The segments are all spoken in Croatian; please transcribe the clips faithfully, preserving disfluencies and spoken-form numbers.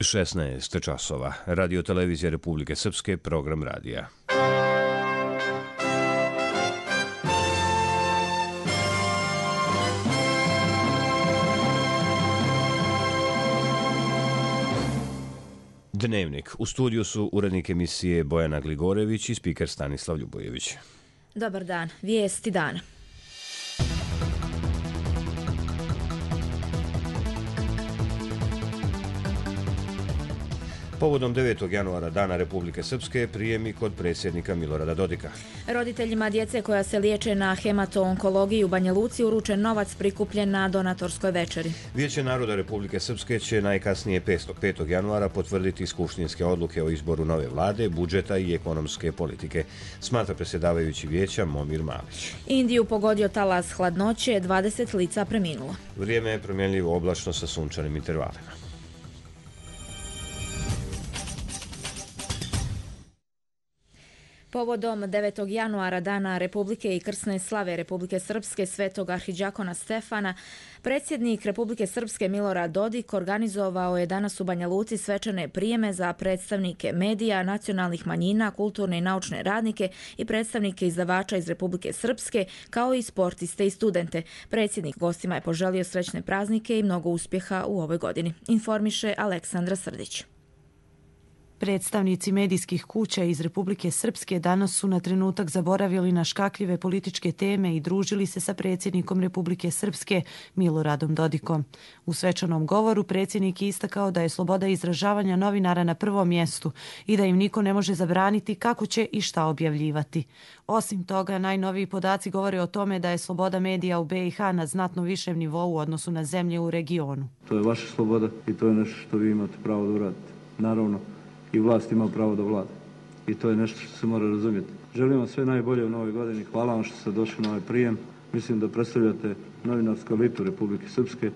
šesnaest časova. Radio televizija Republike Srpske, program radija. Dnevnik. U studiju su urednik emisije Bojana Gligorević i spiker Stanislav Ljubojević. Dobar dan. Vijesti dana. Povodom devetog januara Dana Republike Srpske prijemi kod predsjednika Milorada Dodika. Roditeljima djece koja se liječe na hemato-onkologiji u Banja Luci uručen novac prikupljen na donatorskoj večeri. Vijeće naroda Republike Srpske će najkasnije petog januara potvrditi skupštinske odluke o izboru nove vlade, budžeta i ekonomske politike, smatra predsjedavajući vijeća Momir Malić. Indiju pogodio talas hladnoće, dvadeset lica preminulo. Vrijeme je promjenljivo oblačno sa sunčanim intervalima. Povodom devetog januara Dana Republike i krsne slave Republike Srpske svetog arhidžakona Stefana, predsjednik Republike Srpske Milorad Dodik organizovao je danas u Banja Luci svečane prijeme za predstavnike medija, nacionalnih manjina, kulturne i naučne radnike i predstavnike izdavača iz Republike Srpske, kao i sportiste i studente. Predsjednik gostima je poželio srećne praznike i mnogo uspjeha u ovoj godini, informiše Aleksandra Srdić. Predstavnici medijskih kuća iz Republike Srpske danas su na trenutak zaboravili na škakljive političke teme i družili se sa predsjednikom Republike Srpske Miloradom Dodikom. U svečanom govoru predsjednik je istakao da je sloboda izražavanja novinara na prvom mjestu i da im niko ne može zabraniti kako će i šta objavljivati. Osim toga, najnoviji podaci govore o tome da je sloboda medija u B i H na znatno višem nivou u odnosu na zemlje u regionu. To je vaša sloboda i to je nešto što vi imate pravo da uradite. Naravno, i vlast ima pravo da vlada. I to je nešto što se mora razumjeti. Želim vam sve najbolje u novoj godini. Hvala vam što ste došli na ovaj prijem. Mislim da predstavljate novinarsku elitu Republike Srpske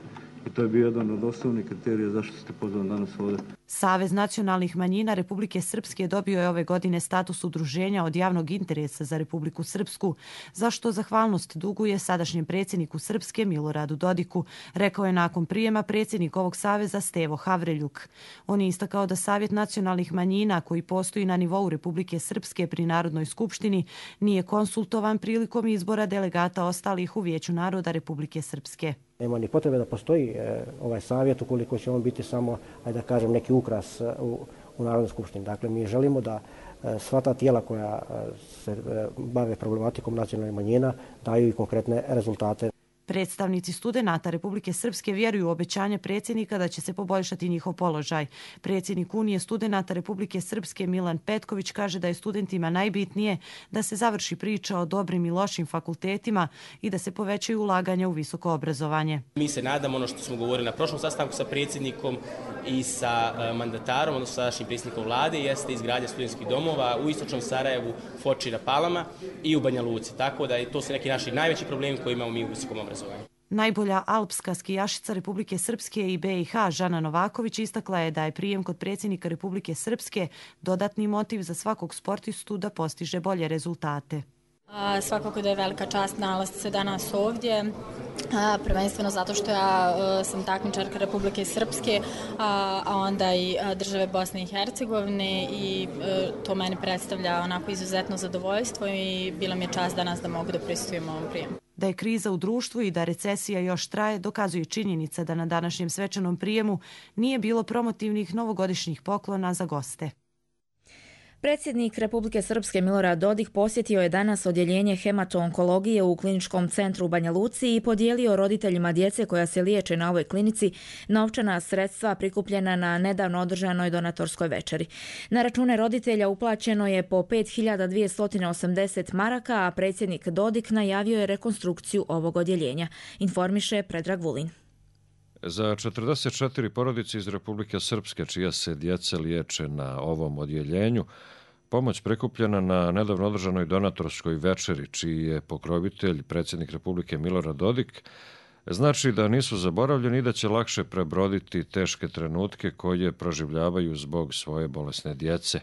i to je bio jedan od osnovnih kriterija zašto ste pozvani danas ovdje. Savez nacionalnih manjina Republike Srpske dobio je ove godine status udruženja od javnog interesa za Republiku Srpsku, za što zahvalnost duguje sadašnjem predsjedniku Srpske Miloradu Dodiku, rekao je nakon prijema predsjednik ovog saveza Stevo Havreljuk. On je istakao da Savjet nacionalnih manjina, koji postoji na nivou Republike Srpske pri Narodnoj skupštini, nije konsultovan prilikom izbora delegata ostalih u Vijeću naroda Republike Srpske. Nema ni potrebe da postoji e, ovaj savjet ukoliko će on biti samo, ajde da kažem, neki ukras u, u Narodnoj skupštini. Dakle, mi želimo da e, sva ta tijela koja e, se e, bave problematikom nacionalnih manjina daju i konkretne rezultate. Predstavnici studenata Republike Srpske vjeruju u obećanje predsjednika da će se poboljšati njihov položaj. Predsjednik Unije studenata Republike Srpske Milan Petković kaže da je studentima najbitnije da se završi priča o dobrim i lošim fakultetima i da se povećaju ulaganja u visoko obrazovanje. Mi se nadamo, ono što smo govorili na prošlom sastanku sa predsjednikom i sa mandatarom, odnosno sadašnjim predsjednikom vlade, jeste izgradnja studentskih domova u istočnom Sarajevu, Foči na Palama i u Banja Luci. Tako da to su neki naši najveći problemi koje imamo mi u visokom obrazovanju. Najbolja alpska skijašica Republike Srpske i B i H Žana Novaković istakla je da je prijem kod predsjednika Republike Srpske dodatni motiv za svakog sportistu da postiže bolje rezultate. A, svakako da je velika čast nalaziti se danas ovdje, a, prvenstveno zato što ja a, sam takmičarka Republike Srpske, a, a onda i a, države Bosne i Hercegovine i a, to meni predstavlja onako izuzetno zadovoljstvo i bila mi je čast danas da mogu da prisustvujem ovom prijemu. Da je kriza u društvu i da recesija još traje, dokazuje činjenica da na današnjem svečanom prijemu nije bilo promotivnih novogodišnjih poklona za goste. Predsjednik Republike Srpske Milorad Dodik posjetio je danas odjeljenje hemato-onkologije u kliničkom centru u Banja Luci i podijelio roditeljima djece koja se liječe na ovoj klinici novčana sredstva prikupljena na nedavno održanoj donatorskoj večeri. Na račune roditelja uplaćeno je po pet hiljada dvjesto osamdeset maraka, a predsjednik Dodik najavio je rekonstrukciju ovog odjeljenja, informiše Predrag Vulin. Za četrdeset četiri porodice iz Republike Srpske čija se djeca liječe na ovom odjeljenju, pomoć prikupljena na nedavno održanoj donatorskoj večeri, čiji je pokrovitelj predsjednik Republike Milorad Dodik, znači da nisu zaboravljeni i da će lakše prebroditi teške trenutke koje proživljavaju zbog svoje bolesne djece.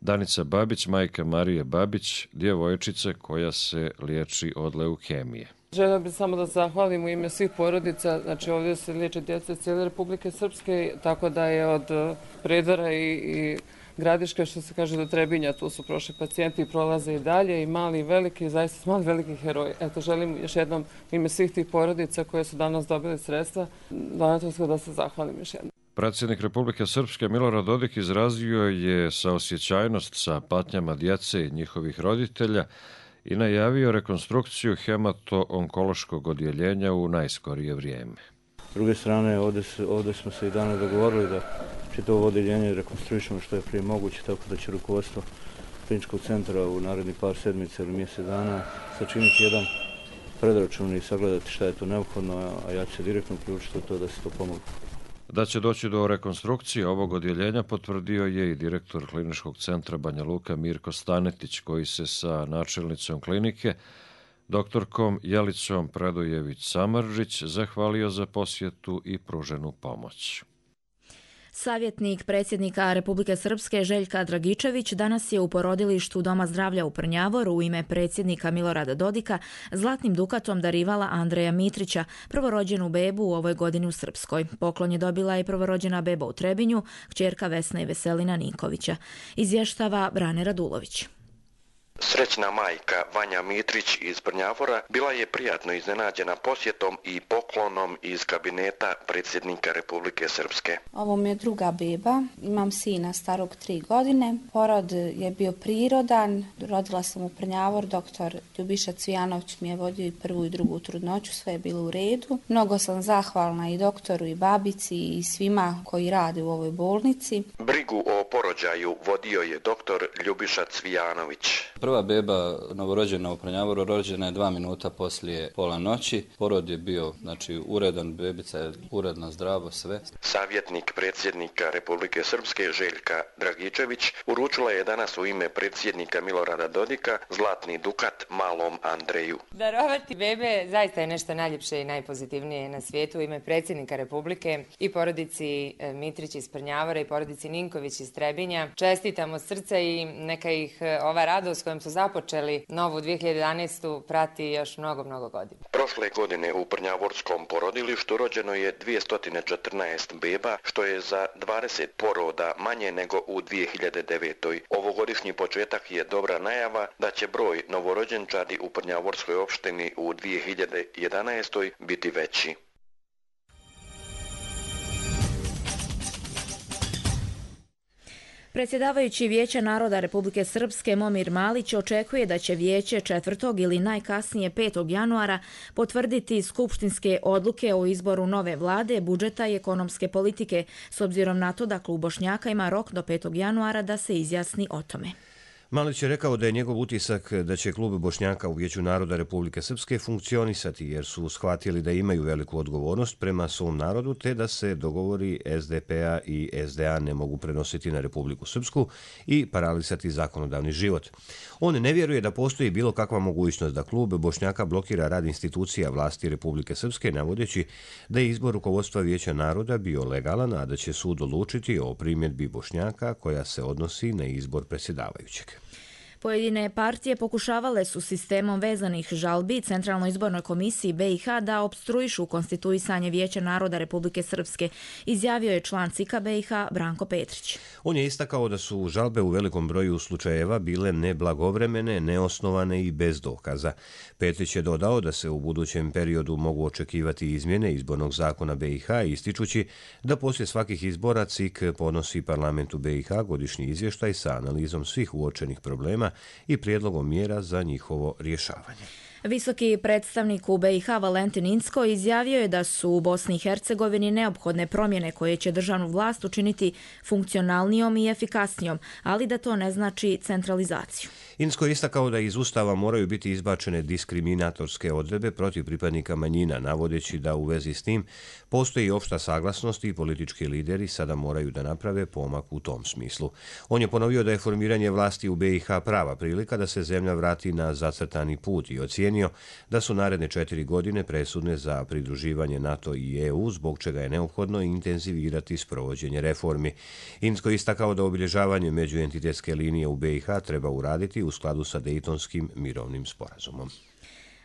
Danica Babić, majka Marije Babić, djevojčice koja se liječi od leukemije. Željela bih samo da zahvalim u ime svih porodica, znači ovdje se liječe djeca cijele Republike Srpske, tako da je od Predvara i, i Gradiške, što se kaže, do Trebinja, tu su prošli pacijenti i prolaze i dalje, i mali i veliki, zaista su mali veliki heroji. Eto, želim još jednom u ime svih tih porodica koje su danas dobili sredstva, donatorsko da se zahvalim još jednom. Predsjednik Republike Srpske Milorad Dodik izrazio je saosjećajnost sa patnjama djece i njihovih roditelja i najavio rekonstrukciju hemato-onkološkog odjeljenja u najskorije vrijeme. S druge strane, ovdje, ovdje smo se i danas dogovorili da čitavo odjeljenje rekonstruišemo što je prije moguće, tako da će rukovodstvo kliničkog centra u narednih par sedmica ili mjesec dana sačiniti jedan predračun i sagledati šta je to neophodno, a ja ću se direktno uključiti u to da se to pomogu. Da će doći do rekonstrukcije ovog odjeljenja potvrdio je i direktor kliničkog centra Banja Luka Mirko Stanetić, koji se sa načelnicom klinike, doktorkom Jelicom Predojević-Samardžić, zahvalio za posjetu i pruženu pomoć. Savjetnik predsjednika Republike Srpske Željka Dragičević danas je u porodilištu Doma zdravlja u Prnjavoru u ime predsjednika Milorada Dodika zlatnim dukatom darivala Andreja Mitrića, prvorođenu bebu u ovoj godini u Srpskoj. Poklon je dobila i prvorođena beba u Trebinju, kćerka Vesna i Veselina Ninkovića. Izvještava Brane Radulović. Srećna majka Vanja Mitrić iz Prnjavora bila je prijatno iznenađena posjetom i poklonom iz kabineta predsjednika Republike Srpske. Ovo mi je druga beba, imam sina starog tri godine. Porod je bio prirodan, rodila sam u Prnjavor, doktor Ljubiša Cvijanović mi je vodio i prvu i drugu trudnoću, sve je bilo u redu. Mnogo sam zahvalna i doktoru i babici i svima koji rade u ovoj bolnici. Brigu o porođaju vodio je doktor Ljubiša Cvijanović. Prva beba novorođena u Prnjavoru rođena je dva minuta poslije pola noći. Porod je bio, znači, uredan, bebica je uredno, zdravo, sve. Savjetnik predsjednika Republike Srpske Željka Dragičević uručila je danas u ime predsjednika Milorada Dodika zlatni dukat malom Andreju. Darovati bebe zaista je nešto najljepše i najpozitivnije na svijetu. U ime predsjednika Republike i porodici Mitrić iz Prnjavora i porodici Ninković iz Trebinja čestitam od srca i neka ih ova radost kojom su započeli novu dvije hiljade jedanaestu prati još mnogo, mnogo godina. Prošle godine u Prnjavorskom porodilištu rođeno je dvjesto četrnaest beba, što je za dvadeset poroda manje nego u dvije hiljade devetoj. Ovogodišnji početak je dobra najava da će broj novorođenčadi u Prnjavorskoj opštini u dvije hiljade jedanaestoj biti veći. Predsjedavajući Vijeća naroda Republike Srpske Momir Malić očekuje da će Vijeće četvrtog ili najkasnije petog januara potvrditi skupštinske odluke o izboru nove vlade, budžeta i ekonomske politike, s obzirom na to da klub Bošnjaka ima rok do petog januara da se izjasni o tome. Malić je rekao da je njegov utisak da će klub Bošnjaka u Vijeću naroda Republike Srpske funkcionisati jer su shvatili da imaju veliku odgovornost prema svom narodu te da se dogovori S D P-a i S D A ne mogu prenositi na Republiku Srpsku i paralisati zakonodavni život. On ne vjeruje da postoji bilo kakva mogućnost da klub Bošnjaka blokira rad institucija vlasti Republike Srpske, navodeći da je izbor rukovodstva Vijeća naroda bio legalan, a da će sud odlučiti o primjedbi Bošnjaka koja se odnosi na izbor predsjedavajućeg. Pojedine partije pokušavale su sistemom vezanih žalbi Centralnoj izbornoj komisiji B i H da opstruišu konstituisanje Vijeća naroda Republike Srpske, izjavio je član C I K-a B i H Branko Petrić. On je istakao da su žalbe u velikom broju slučajeva bile neblagovremene, neosnovane i bez dokaza. Petrić je dodao da se u budućem periodu mogu očekivati izmjene izbornog zakona B i H, ističući da poslije svakih izbora C I K podnosi parlamentu B i H godišnji izvještaj sa analizom svih uočenih problema i prijedlogom mjera za njihovo rješavanje. Visoki predstavnik u B i H Valentin Incko izjavio je da su u Bosni i Hercegovini neophodne promjene koje će državnu vlast učiniti funkcionalnijom i efikasnijom, ali da to ne znači centralizaciju. Incko je istakao da iz Ustava moraju biti izbačene diskriminatorske odredbe protiv pripadnika manjina, navodeći da u vezi s tim postoji opšta saglasnost i politički lideri sada moraju da naprave pomak u tom smislu. On je ponovio da je formiranje vlasti u B i H prava prilika da se zemlja vrati na zacrtani put i ocijenio da su naredne četiri godine presudne za pridruživanje NATO i E U, zbog čega je neophodno intenzivirati sprovođenje reformi. Incko je istakao da obilježavanje međuentitetske linije u B i H treba uraditi u skladu sa Dejtonskim mirovnim sporazumom.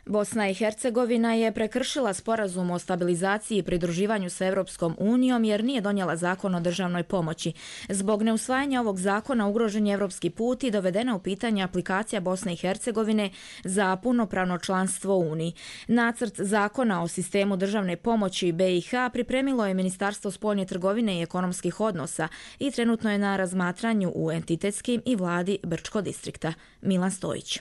Bosna i Hercegovina je prekršila sporazum o stabilizaciji i pridruživanju sa Europskom unijom jer nije donijela zakon o državnoj pomoći. Zbog neusvajanja ovog zakona ugrožen je europski put i dovedena u pitanje aplikacija Bosne i Hercegovine za punopravno članstvo u Uniji. Nacrt zakona o sistemu državne pomoći B i H pripremilo je Ministarstvo spoljne trgovine i ekonomskih odnosa i trenutno je na razmatranju u entitetskim i vladi Brčko distrikta. Milan Stojić.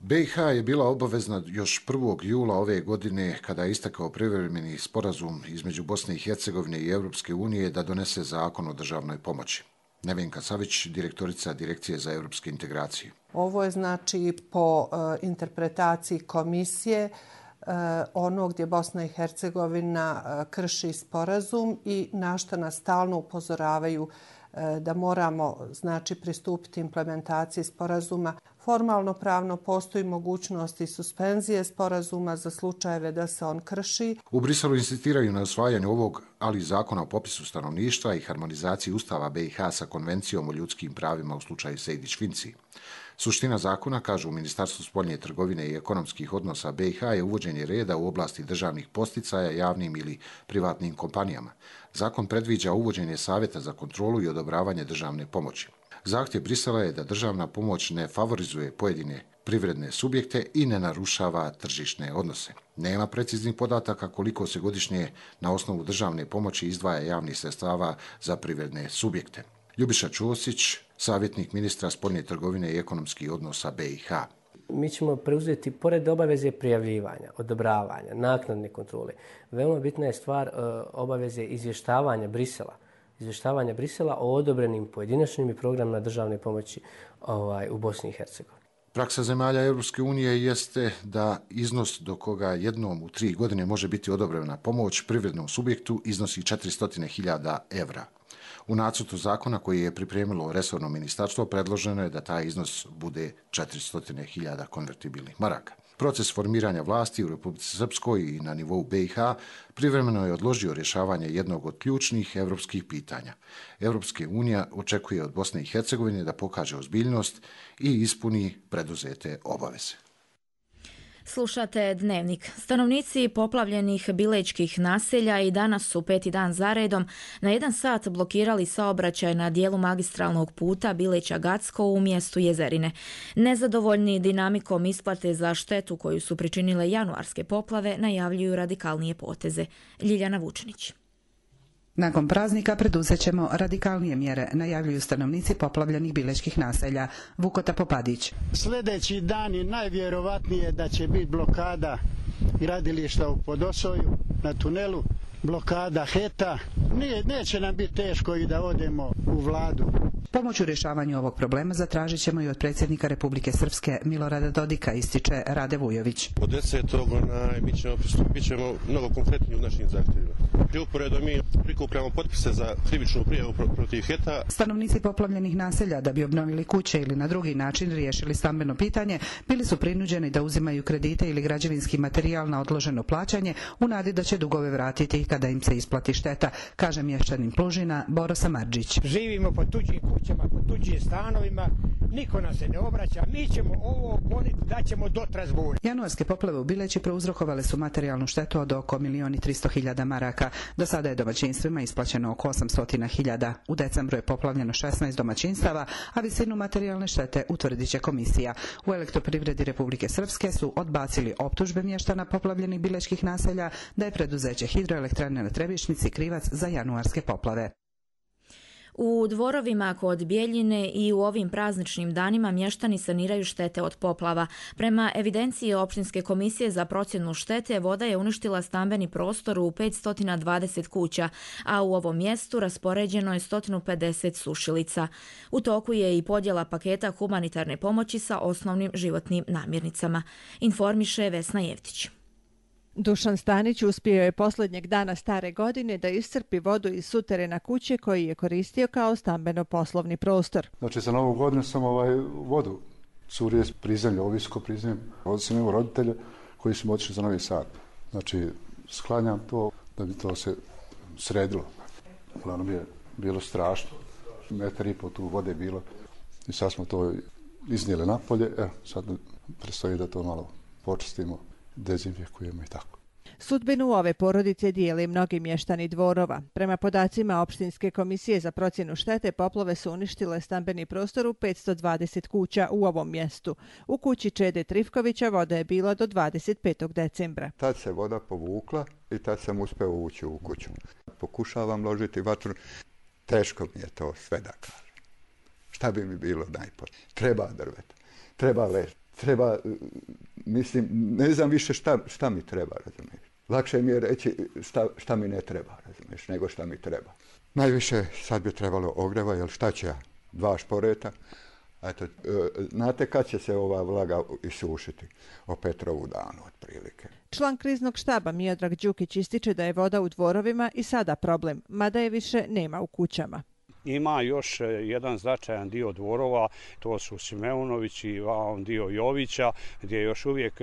B i H je bila obavezna još prvog jula ove godine kada je istakao privremeni sporazum između Bosne i Hercegovine i Europske unije da donese zakon o državnoj pomoći. Nevenka Savić, direktorica Direkcije za europske integracije. Ovo je znači po uh, interpretaciji komisije uh, ono gdje Bosna i Hercegovina uh, krši sporazum i na što nas stalno upozoravaju da moramo znači pristupiti implementaciji sporazuma. Formalno pravno postoji mogućnost i suspenzije sporazuma za slučajeve da se on krši. U Briselu insistiraju na usvajanju ovog, ali i zakona o popisu stanovništva i harmonizaciji Ustava B i H sa Konvencijom o ljudskim pravima u slučaju Sejdić-Finci. Suština zakona, kažu u Ministarstvu spoljne trgovine i ekonomskih odnosa B i H, je uvođenje reda u oblasti državnih posticaja javnim ili privatnim kompanijama. Zakon predviđa uvođenje savjeta za kontrolu i odobravanje državne pomoći. Zahtjev Brisela je da državna pomoć ne favorizuje pojedine privredne subjekte i ne narušava tržišne odnose. Nema preciznih podataka koliko se godišnje na osnovu državne pomoći izdvaja javnih sredstava za privredne subjekte. Ljubiša Ćosić, savjetnik ministra spoljne trgovine i ekonomskih odnosa B i H. Mi ćemo preuzeti, pored obaveze prijavljivanja, odobravanja, naknadne kontrole, veoma bitna je stvar obaveze izvještavanja Brisela. Izvještavanja Brisela o odobrenim pojedinačnim i programima državne pomoći ovaj, u Bosni i Hercegovini. Praksa zemalja Europske unije jeste da iznos do koga jednom u tri godine može biti odobrena pomoć privrednom subjektu iznosi četiristo hiljada evra. U nacrtu zakona koji je pripremilo resorno ministarstvo predloženo je da taj iznos bude četiristo hiljada konvertibilnih maraka. Proces formiranja vlasti u Republici Srpskoj i na nivou B i H privremeno je odložio rješavanje jednog od ključnih evropskih pitanja. Europska unija očekuje od Bosne i Hercegovine da pokaže ozbiljnost i ispuni preduzete obaveze. Slušate Dnevnik. Stanovnici poplavljenih bilečkih naselja i danas su peti dan zaredom na jedan sat blokirali saobraćaj na dijelu magistralnog puta Bileća-Gacko u mjestu Jezerine. Nezadovoljni dinamikom isplate za štetu koju su pričinile januarske poplave najavljuju radikalnije poteze. Ljiljana Vučinić. Nakon praznika preduzet ćemo radikalnije mjere, najavljuju stanovnici poplavljenih bilečkih naselja. Vukota Popadić. Sljedeći dan je najvjerovatnije da će biti blokada gradilišta u Podosoju na tunelu, blokada Heta. Nije, neće nam biti teško i da odemo u vladu. Pomoć u rješavanju ovog problema zatražit ćemo i od predsjednika Republike Srpske Milorada Dodika, ističe Rade Vujović. Od desetog mi ćemo pristupit ćemo mnogo konkretniji u našim zahtjevima. Pri uporedu mi prikupljamo potpise za krivičnu prijavu protiv Heta. Stanovnici poplavljenih naselja da bi obnovili kuće ili na drugi način riješili stambeno pitanje bili su prinuđeni da uzimaju kredite ili građevinski materijal na odloženo plaćanje u nadi da će dugove vratiti kada im se isplati šteta, kaže mješćanin Plužina Boro Samardžić. Živimo po tuđim kućama, po tuđim stanovima, niko nas se ne obraća, mi ćemo ovo goniti da ćemo do Trezbuna. Januarske poplave u Bileći prouzrokovale su materijalnu štetu od oko milion i tristo hiljada maraka. Do sada je domaćinstvima isplaćeno oko osamsto hiljada. U decembru je poplavljeno šesnaest domaćinstava, a visinu materijalne štete utvrdit će komisija. U Elektroprivredi Republike Srpske su odbacili optužbe mještana poplavljenih bilečkih naselja da je preduzeće hidroelektrane na Trebišnici krivac za januarske poplave. U dvorovima kod Bjeljine i u ovim prazničnim danima mještani saniraju štete od poplava. Prema evidenciji Općinske komisije za procjenu štete, voda je uništila stambeni prostor u petsto dvadeset kuća, a u ovom mjestu raspoređeno je sto pedeset sušilica. U toku je i podjela paketa humanitarne pomoći sa osnovnim životnim namirnicama. Informiše Vesna Jevtić. Dušan Stanić uspio je posljednjeg dana stare godine da iscrpi vodu iz suterena kuće koji je koristio kao stambeno-poslovni prostor. Znači za novu godinu sam ovaj vodu curije s prizemlja, ovo visoko prizemlje. Ovdje sam imao roditelje koji su otišli za Novi Sad. Znači sklanjam to da bi to se sredilo. Uglavnom je bilo strašno. Metar i pol tu vode bilo i sad smo to iznijeli napolje. Evo, sad predstoji da to malo počistimo, dezinfekujemo i tako. Sudbinu ove porodice dijeli mnogi mještani Dvorova. Prema podacima Opštinske komisije za procjenu štete, poplave su uništile stambeni prostor u petsto dvadeset kuća u ovom mjestu. U kući Čede Trifkovića voda je bila do dvadeset petog decembra. Tad se voda povukla i tad sam uspeo ući u kuću. Pokušavam ložiti vatru. Teško mi je to sve da kažem. Šta bi mi bilo najpotrebnije? Treba drveta, treba leš, treba, mislim, ne znam više šta, šta mi treba, razumiješ. Lakše mi je reći šta, šta mi ne treba, razumiješ, nego šta mi treba. Najviše sad bi trebalo ogreva, jer šta će ja? Dva šporeta. Eto, znate kad će se ova vlaga isušiti? O Petrovu danu, otprilike. Član kriznog štaba Miodrag Đukić ističe da je voda u Dvorovima i sada problem, mada je više nema u kućama. Ima još jedan značajan dio Dvorova, to su Simeunović i dio Jovića, gdje još uvijek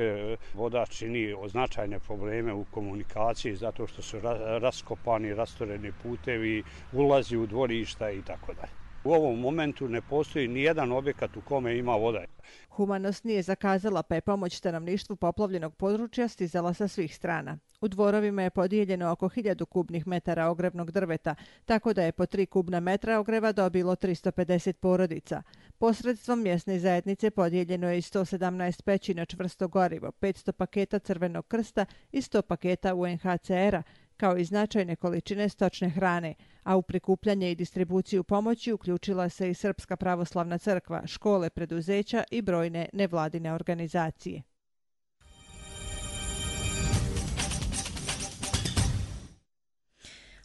voda čini značajne probleme u komunikaciji zato što su raskopani, rastoreni putevi, ulazi u dvorišta i tako dalje. U ovom momentu ne postoji ni jedan objekat u kome ima voda. Humanost nije zakazala, pa je pomoć stanovništvu poplavljenog područja stizala sa svih strana. U Dvorovima je podijeljeno oko hiljadu kubnih metara ogrevnog drveta, tako da je po tri kubna metra ogreva dobilo tristo pedeset porodica. Posredstvom mjesne zajednice podijeljeno je i sto sedamnaest peći na čvrsto gorivo, petsto paketa Crvenog krsta i sto paketa U N H C R-a, kao i značajne količine stočne hrane, a u prikupljanje i distribuciju pomoći uključila se i Srpska pravoslavna crkva, škole, preduzeća i brojne nevladine organizacije.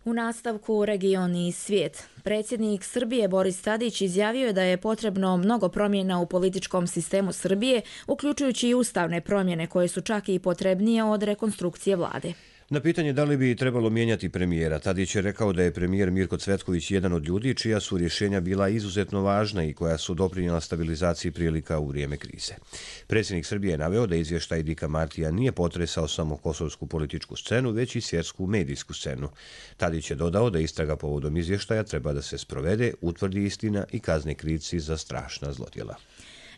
U nastavku region i svijet. Predsjednik Srbije Boris Tadić izjavio je da je potrebno mnogo promjena u političkom sistemu Srbije, uključujući i ustavne promjene koje su čak i potrebnije od rekonstrukcije vlade. Na pitanje da li bi trebalo mijenjati premijera, Tadić je rekao da je premijer Mirko Cvetković jedan od ljudi čija su rješenja bila izuzetno važna i koja su doprinijela stabilizaciji prilika u vrijeme krize. Predsjednik Srbije je naveo da izvještaj Dika Martija nije potresao samo kosovsku političku scenu, već i svjetsku medijsku scenu. Tadić je dodao da istraga povodom izvještaja treba da se sprovede, utvrdi istina i kazne krivci za strašna zlodjela.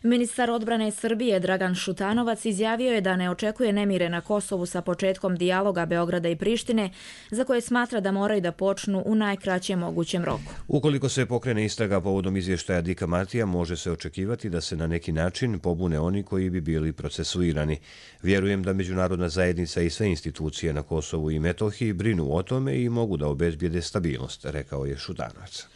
Ministar odbrane Srbije Dragan Šutanovac izjavio je da ne očekuje nemire na Kosovu sa početkom dijaloga Beograda i Prištine, za koje smatra da moraju da počnu u najkraćem mogućem roku. Ukoliko se pokrene istraga povodom izvještaja Dika Martija, može se očekivati da se na neki način pobune oni koji bi bili procesuirani. Vjerujem da međunarodna zajednica i sve institucije na Kosovu i Metohiji brinu o tome i mogu da obezbijede stabilnost, rekao je Šutanovac.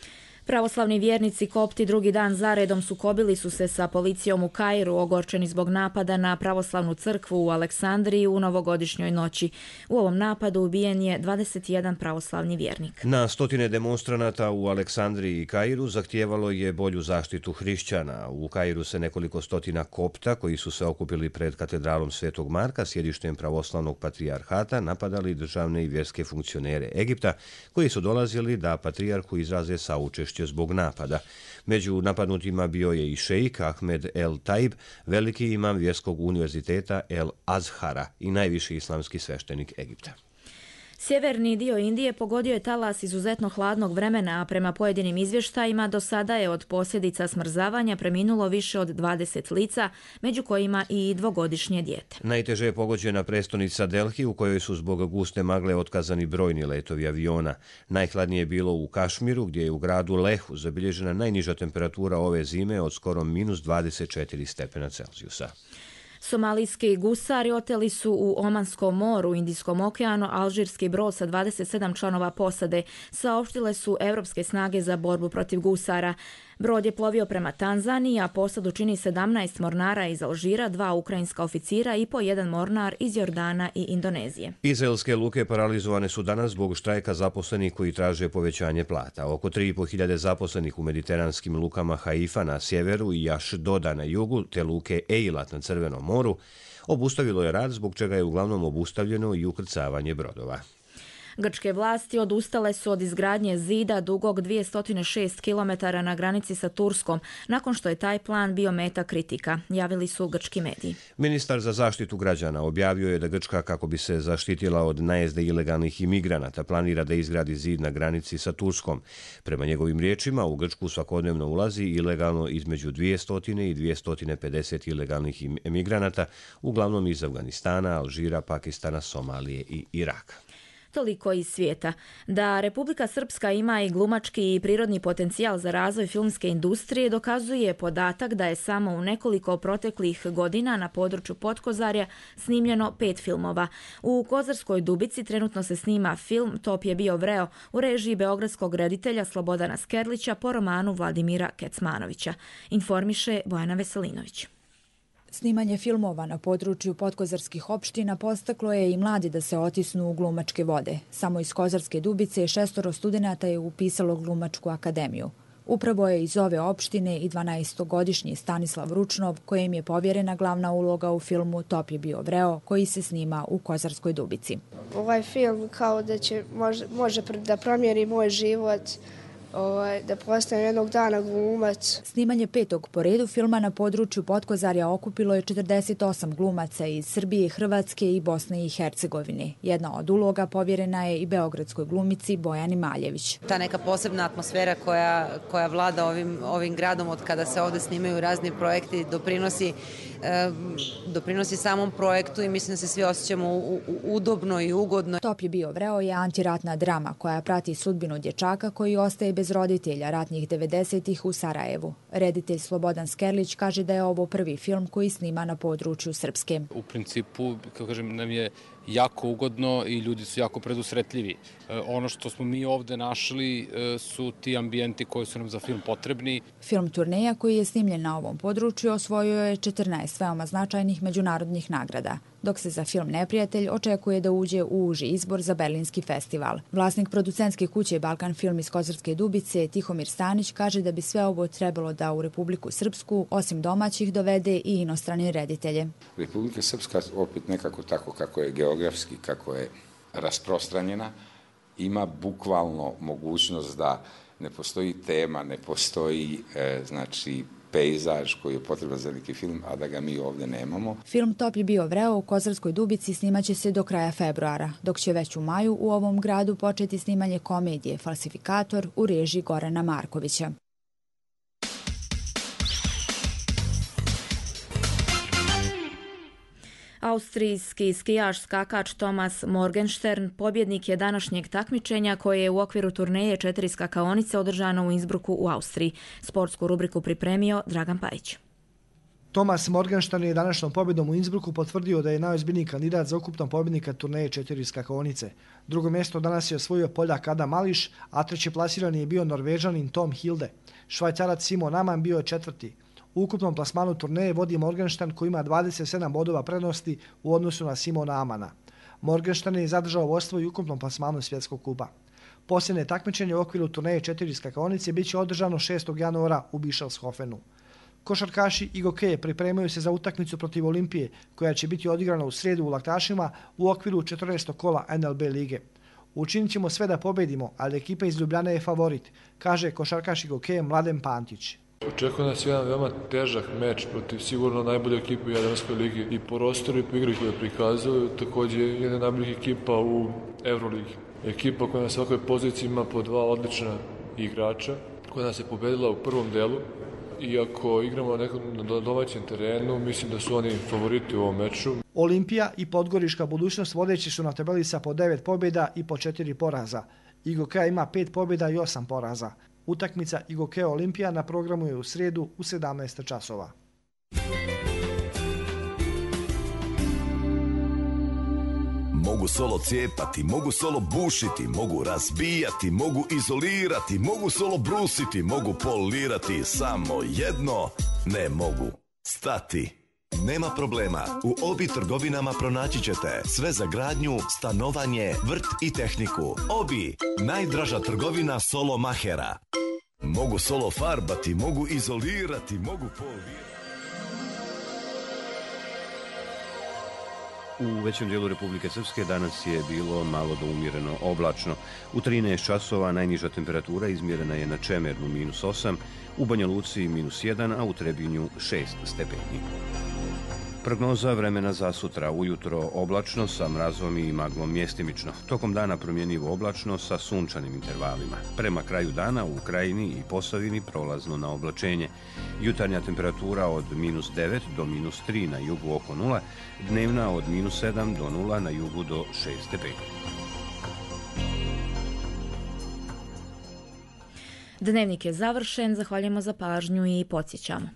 Pravoslavni vjernici kopti drugi dan zaredom sukobili su se sa policijom u Kairu, ogorčeni zbog napada na pravoslavnu crkvu u Aleksandriji u novogodišnjoj noći. U ovom napadu ubijen je dvadeset jedan pravoslavni vjernik. Na stotine demonstranata u Aleksandriji i Kairu zahtijevalo je bolju zaštitu hrišćana. U Kairu se nekoliko stotina kopta koji su se okupili pred katedralom Svetog Marka, sjedištem pravoslavnog patrijarhata, napadali državne i vjerske funkcionere Egipta, koji su dolazili da patrijarhu izraze saučešće zbog napada. Među napadnutima bio je i šejik Ahmed El Taib, veliki imam vjerskog univerziteta El Azhara i najviši islamski sveštenik Egipta. Sjeverni dio Indije pogodio je talas izuzetno hladnog vremena, a prema pojedinim izvještajima do sada je od posljedica smrzavanja preminulo više od dvadeset lica, među kojima i dvogodišnje dijete. Najteže je pogođena prestonica Delhi, u kojoj su zbog guste magle otkazani brojni letovi aviona. Najhladnije je bilo u Kašmiru, gdje je u gradu Lehu zabilježena najniža temperatura ove zime od skoro minus dvadeset četiri stepena Celzijusa. Somalijski gusari oteli su u Omanskom moru, Indijskom okeanu, alžirski brod sa dvadeset sedam članova posade. Saopštile su evropske snage za borbu protiv gusara. Brod je plovio prema Tanzaniji, a posadu čini sedamnaest mornara iz Alžira, dva ukrajinska oficira i po jedan mornar iz Jordana i Indonezije. Izraelske luke paralizovane su danas zbog štrajka zaposlenih koji traže povećanje plata. Oko tri i po hiljade zaposlenih u mediteranskim lukama Haifa na sjeveru i Ašdoda na jugu, te luke Eilat na Crvenom moru, obustavilo je rad, zbog čega je uglavnom obustavljeno i ukrcavanje brodova. Grčke vlasti odustale su od izgradnje zida dugog dvjesto šest kilometara na granici sa Turskom, nakon što je taj plan bio meta kritika, javili su grčki mediji. Ministar za zaštitu građana objavio je da Grčka, kako bi se zaštitila od najezde ilegalnih imigranata, planira da izgradi zid na granici sa Turskom. Prema njegovim riječima, u Grčku svakodnevno ulazi ilegalno između dvjesto i dvjesto pedeset ilegalnih imigranata, uglavnom iz Afganistana, Alžira, Pakistana, Somalije i Iraka. Toliko iz svijeta. Da Republika Srpska ima i glumački i prirodni potencijal za razvoj filmske industrije dokazuje podatak da je samo u nekoliko proteklih godina na području Potkozarja snimljeno pet filmova. U Kozarskoj Dubici trenutno se snima film Top je bio vreo u režiji beogradskog reditelja Slobodana Skerlića po romanu Vladimira Kecmanovića. Informiše Bojana Veselinović. Snimanje filmova na području podkozarskih opština postaklo je i mladi da se otisnu u glumačke vode. Samo iz Kozarske Dubice šestoro studenata je upisalo glumačku akademiju. Upravo je iz ove opštine i dvanaestogodišnji Stanislav Ručnov, kojem je povjerena glavna uloga u filmu Top je bio vreo, koji se snima u Kozarskoj Dubici. Ovaj film kao da će, može, može da promijeni moj život, da postanem jednog dana glumac. Snimanje petog po redu filma na području Potkozarja okupilo je četrdeset osam glumaca iz Srbije, Hrvatske i Bosne i Hercegovine. Jedna od uloga povjerena je i beogradskoj glumici Bojani Maljević. Ta neka posebna atmosfera koja, koja vlada ovim, ovim gradom od kada se ovde snimaju razni projekti doprinosi, e, doprinosi samom projektu i mislim da se svi osjećamo u, u, udobno i ugodno. Top je bio vreo je antiratna drama koja prati sudbinu dječaka koji ostaje bez roditelja ratnih devedesetih u Sarajevu. Reditelj Slobodan Skerlić kaže da je ovo prvi film koji snima na području Srpske. U principu, kako kažem, nam je jako ugodno i ljudi su jako predusretljivi. E, ono što smo mi ovde našli e, su ti ambijenti koji su nam za film potrebni. Film Turneja koji je snimljen na ovom području osvojio je četrnaest veoma značajnih međunarodnih nagrada, dok se za film Neprijatelj očekuje da uđe u uži izbor za Berlinski festival. Vlasnik producentske kuće Balkan Film iz Kozarske Dubice, Tihomir Stanić, kaže da bi sve ovo trebalo da u Republiku Srpsku, osim domaćih, dovede i inostrane reditelje. Republika Srpska, opet nekako tako kako je geografski, kako je rasprostranjena, ima bukvalno mogućnost da ne postoji tema, ne postoji e, znači pejzaž koji je potreban za neki film, a da ga mi ovdje nemamo. Film Top je bio vreo u Kozarskoj Dubici snimaće se do kraja februara, dok će već u maju u ovom gradu početi snimanje komedije Falsifikator u režiji Gorana Markovića. Austrijski skijaš skakač Thomas Morgenstern pobjednik je današnjeg takmičenja koje je u okviru turneje četiri skakaonice održano u Innsbrucku u Austriji. Sportsku rubriku pripremio Dragan Pajić. Thomas Morgenstern je današnjom pobjedom u Innsbrucku potvrdio da je najozbiljniji kandidat za ukupnog pobjednika turneje četiri skakaonice. Drugo mjesto danas je osvojio Poljak Adam Mališ, a treći plasirani je bio Norvežanin Tom Hilde. Švajcarac Simon Aman bio je četvrti. U ukupnom plasmanu turneje vodi Morgenstern koji ima dvadeset sedam bodova prednosti u odnosu na Simona Amana. Morgenstern je zadržao vodstvo i ukupnom plasmanu svjetskog kupa. Posljednje takmičenje u okviru turneje četiri skakaonice bit će održano šestog januara u Bischofshofenu. Košarkaši i gokeje pripremaju se za utakmicu protiv Olimpije koja će biti odigrana u srijedu u Laktašima u okviru četrnaestog kola N L B lige. Učinit ćemo sve da pobedimo, ali ekipa iz Ljubljane je favorit, kaže košarkaš i gokeje Mladen Pantić. Očekuje nas jedan veoma težak meč protiv sigurno najbolje ekipe u Jadranskoj ligi i po rosteru i po igri koju prikazuju, također jedna najboljih ekipa u Euroligi. Ekipa koja na svakoj poziciji ima po dva odlična igrača, koja nas je pobedila u prvom delu. Iako igramo na domaćem terenu, mislim da su oni favoriti u ovom meču. Olimpija i Podgorička budućnost vodeći su na tabeli sa po devet pobjeda i po četiri poraza. Igokeja ima pet pobjeda i osam poraza. Utakmica Igokeja Olimpija na programu je u srijedu u sedamnaest časova. Mogu solo cijepati, mogu solo bušiti, mogu razbijati, mogu izolirati, mogu solo brusiti, mogu polirati, samo jedno ne mogu stati. Nema problema, u Obi trgovinama pronaći ćete sve za gradnju, stanovanje, vrt i tehniku. Obi, najdraža trgovina solo mahera. Mogu solo farbati, mogu izolirati, mogu polirati. U većem dijelu Republike Srpske danas je bilo malo do umjereno oblačno. U trinaest časova najniža temperatura izmjerena je na Čemernu minus osam, u Banja Luci minus jedan, a u Trebinju šest stepeni. Prognoza vremena za sutra. Ujutro oblačno sa mrazom i maglom mjestimično. Tokom dana promjenjivo oblačno sa sunčanim intervalima. Prema kraju dana u Krajini i Posavini prolazno na oblačenje. Jutarnja temperatura od minus devet do minus tri na jugu oko nula, dnevna od minus sedam do nula na jugu do šest stepeni. Dnevnik je završen, zahvaljujemo za pažnju i podsjećamo.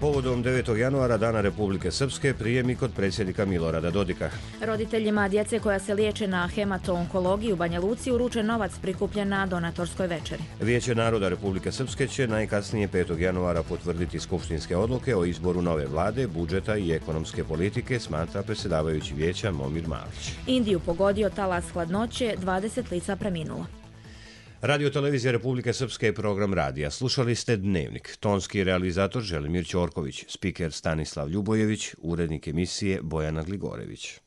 Povodom devetog januara, Dana Republike Srpske, prijem i kod predsjednika Milorada Dodika. Roditeljima djece koja se liječe na hemato-onkologiji u Banja Luci uručen novac prikupljen na donatorskoj večeri. Vijeće naroda Republike Srpske će najkasnije petog januara potvrditi skupštinske odluke o izboru nove vlade, budžeta i ekonomske politike, smatra predsjedavajući vijeća Momir Malić. Indiju pogodio talas hladnoće, dvadeset lica preminulo. Radio televizija Republike Srpske je program radija. Slušali ste Dnevnik. Tonski realizator Želimir Ćorković, spiker Stanislav Ljubojević, urednik emisije Bojana Gligorević.